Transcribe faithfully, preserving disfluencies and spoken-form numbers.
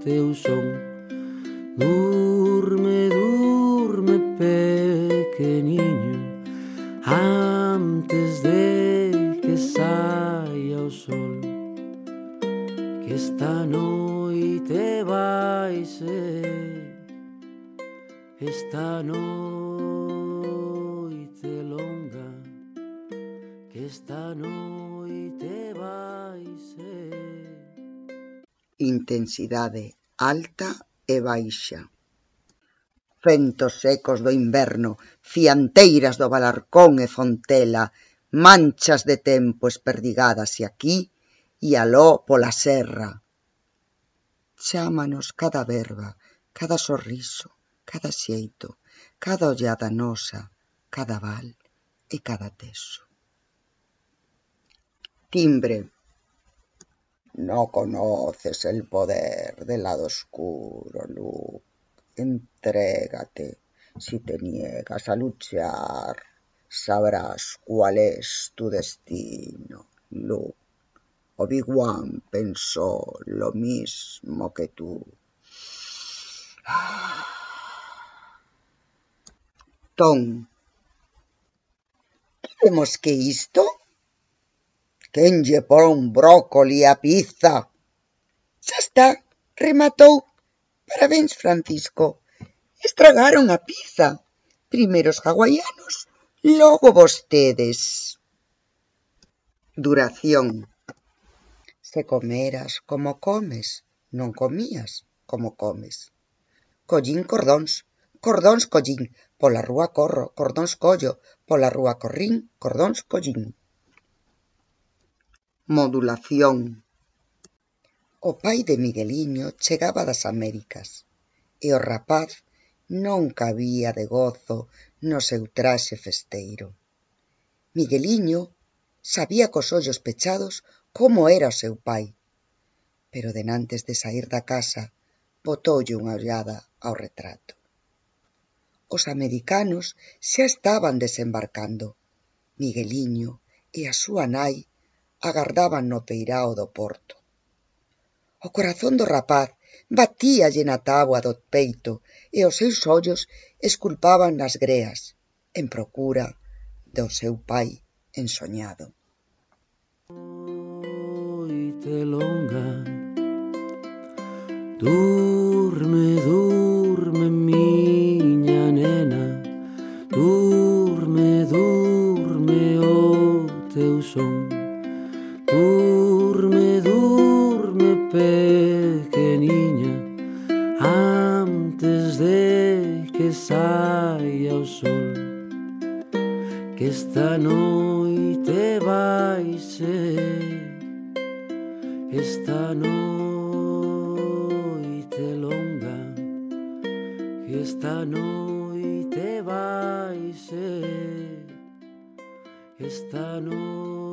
teu son. Durme, durme, pequeniño, antes de que saia o sol, que esta noite vai ser, esta noite longa, que esta noite vai ser. Intensidade alta e baixa. Ventos secos do inverno, fianteiras do Balarcón e Fontela, manchas de tempo esperdigadas e aquí e aló pola serra. Chámanos cada verba, cada sorriso, cada xeito, cada ollada nosa, cada val e cada teso. Timbre. No conoces el poder del lado oscuro, Luke. Entrégate. Si te niegas a luchar, sabrás cuál es tu destino, Luke. Obi-Wan pensó lo mismo que tú. Ton. Vemos que isto? Quen lle pon brócoli a pizza? Xa está, rematou. Parabéns, Francisco. Estragaron a pizza. Primeiro os hawaianos, logo vostedes. Duración. Se comeras como comes, non comías como comes. Collín cordóns, cordóns collín, pola rúa corro, cordóns collo, pola rúa corrín, cordóns collín. Modulación. O pai de Migueliño chegaba das Américas e o rapaz non cabía de gozo no seu traxe festeiro. Migueliño sabía cos ollos pechados como era o seu pai, pero denantes de saír da casa botoulle unha ollada ao retrato. Os americanos xa estaban desembarcando. Migueliño e a súa nai agardaban no peirao do porto. O corazón do rapaz batíalle na táboa do peito e os seus ollos esculpaban nas greas, en procura do seu pai ensoñado. Noite longa, durme, durme, miña nena, durme, durme o teu son. Durme, durme, pequeniña, antes de que saia o sol, que esta noite vai ser, esta noite longa, que esta noite vai ser, esta noite